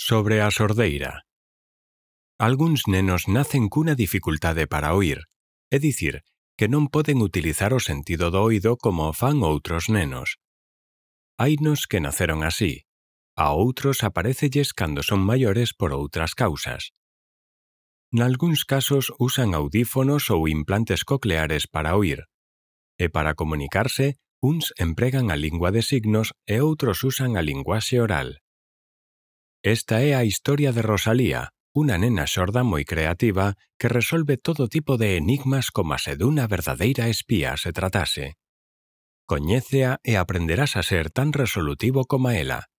Sobre a sordeira. Algúns nenos nacen cunha dificultade para oír, é dicir, que non poden utilizar o sentido do oído como fan outros nenos. Hainos que naceron así, a outros aparécelles cando son maiores por outras causas. Nalgúns casos usan audífonos ou implantes cocleares para oír, e para comunicarse, uns empregan a lingua de signos e outros usan a linguaxe oral. Esta é a historia de Rosalía, unha nena xorda moi creativa que resolve todo tipo de enigmas como se dunha verdadeira espía se tratase. Coñécea e aprenderás a ser tan resolutivo como ela.